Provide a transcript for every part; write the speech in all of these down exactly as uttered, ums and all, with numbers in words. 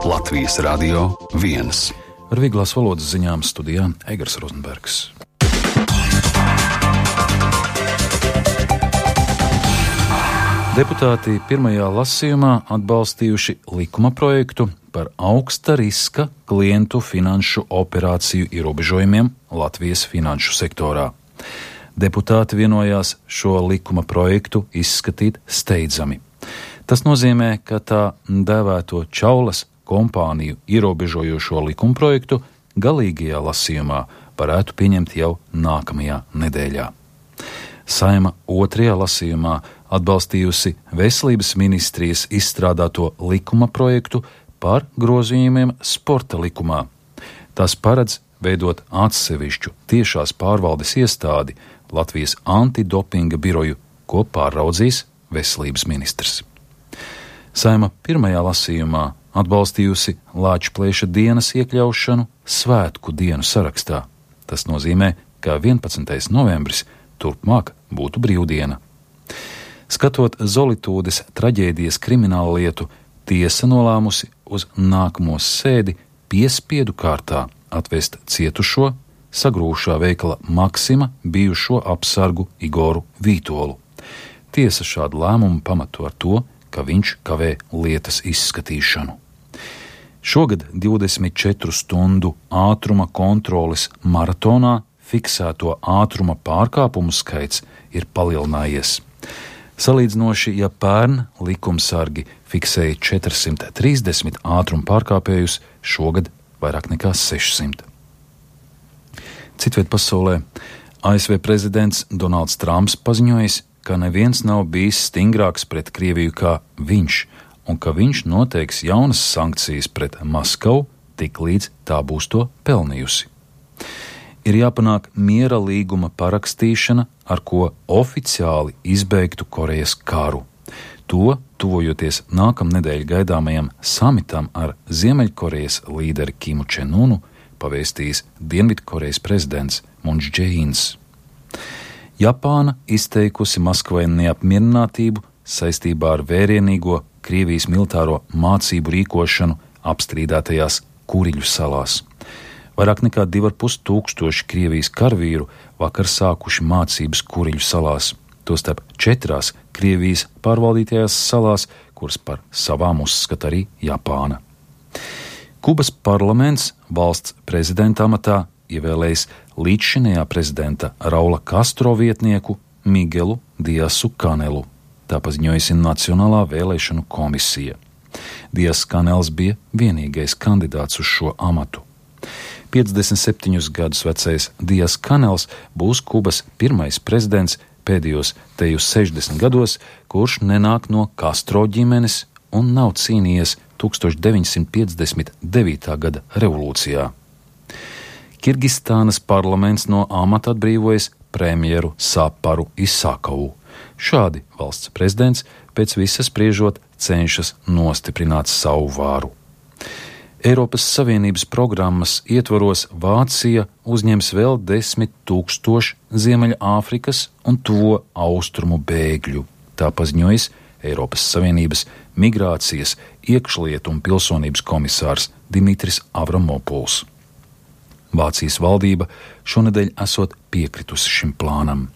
Latvijas Radio viens. Ar vieglās valodas ziņām studijā Egars Rozenbergs. Deputāti pirmajā lasījumā atbalstījuši likuma projektu par augsta riska klientu finanšu operāciju ierobežojumiem Latvijas finanšu sektorā. Deputāti vienojās šo likuma projektu izskatīt steidzami. Tas nozīmē, ka tā dēvēto Čaulas kompāniju ierobežojošo likumprojektu galīgajā lasījumā varētu pieņemt jau nākamajā nedēļā. Saeima otrajā lasījumā atbalstījusi Veselības ministrijas izstrādāto likuma projektu par grozījumiem sporta likumā. Tas paredz veidot atsevišķu tiešās pārvaldes iestādi Latvijas antidopinga biroju, ko pāraudzīs Veselības ministrs. Saeima pirmajā lasījumā atbalstījusi Lāčplēša dienas iekļaušanu svētku dienu sarakstā. Tas nozīmē, ka vienpadsmitais novembris turpmāk būtu brīvdiena. Skatot Zolitūdes traģēdijas kriminālu lietu, tiesa nolēmusi uz nākamo sēdi piespiedu kārtā atvest cietušo sagrūšā veikala Maksima bijušo apsargu Igoru Vītolu. Tiesa šādu lēmumu pamato ar to, ka viņš kavē lietas izskatīšanu. Šogad divdesmit četru stundu ātruma kontroles maratonā fiksēto ātruma pārkāpumu skaits ir palielinājies. Salīdzinoši, ja pērn likumsargi fiksēja četrsimt trīsdesmit ātruma pārkāpējus, šogad vairāk nekā sešsimt. Citviet pasaulē A S V prezidents Donalds Trumps paziņojis, ka neviens nav bijis stingrāks pret Krieviju kā viņš, un ka viņš noteiks jaunas sankcijas pret Maskavu, tik līdz tā būs to pelnījusi. Ir jāpanāk miera līguma parakstīšana, ar ko oficiāli izbeigtu Korejas karu. To, tuvojoties nākamnedēļ gaidāmajam samitam ar Ziemeļkorejas līderi Kimu Čenunu, pavēstījis Dienvidkorejas prezidents Muns Džeīns. Japāna izteikusi Maskavai neapmierinātību saistībā ar vērienīgo Krievijas militāro mācību rīkošanu apstrīdētajās Kuriļu salās. Vairāk nekā divi ar pus tūkstoši Krievijas karavīru vakar sākuši mācības Kuriļu salās, tostarp četrās Krievijas pārvaldītajās salās, kuras par savām uzskata arī Japāna. Kubas parlaments valsts prezidenta amatā ievēlējis līdzšinējā prezidenta Raula Castro vietnieku Migelu Diasu Kanelu. Tā paziņojusi Nacionālā vēlēšanu komisija. Dias Kanels bija vienīgais kandidāts uz šo amatu. piecdesmit septiņus gadus vecais Dias Kanels būs Kubas pirmais prezidents pēdējos tejus sešdesmit gados, kurš nenāk no Castro ģimenes un nav cīnījies deviņdesmit piecdesmit devītā gada revolūcijā. Kirgistānas parlaments no amata atbrīvojas premjeru Saparu Isakavu. Šādi valsts prezidents pēc visa spriežot cenšas nostiprināt savu vāru. Eiropas Savienības programmas ietvaros Vācija uzņems vēl desmit tūkstoši Ziemeļāfrikas un tuvo austrumu bēgļu. Tā paziņojis Eiropas Savienības migrācijas, iekšlietu un pilsonības komisārs Dimitris Avramopuls. Vācijas valdība šonedēļ esot piekritusi šim plānam.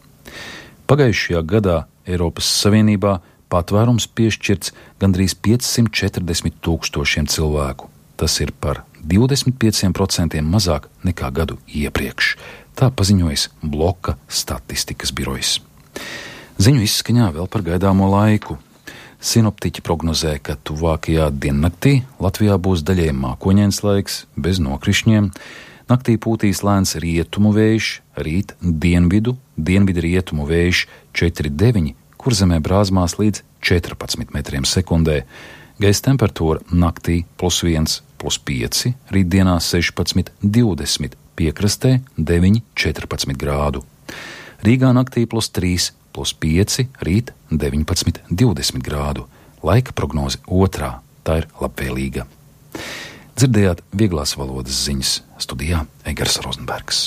Pagājušajā gadā Eiropas Savienībā patvērums piešķirts gandrīz piecsimt četrdesmit tūkstošiem cilvēku. Tas ir par divdesmit pieciem procentiem mazāk nekā gadu iepriekš. Tā paziņojas Bloka statistikas birojs. Ziņu izskaņā vēl par gaidāmo laiku. Sinoptiķi prognozē, ka tuvākajā diennaktī Latvijā būs daļēji mākoņains laiks, bez nokrišņiem. Naktī pūtīs lēns rietumu vējš, rīt dienvidu, dienvidu rietumu vējš četri deviņi, kur zemē brāzmās līdz četrpadsmit metriem sekundē. Gaisa temperatūra naktī plus viens, plus pieci, rītdienā sešpadsmit, divdesmit, piekrastē deviņi, četrpadsmit grādu. Rīgā naktī plus trīs, plus pieci, rīt deviņpadsmit, divdesmit grādu. Laika prognoze otrā, tā ir labvēlīga. Dzirdējāt vieglās valodas ziņas, studijā Egars Rozenbergs.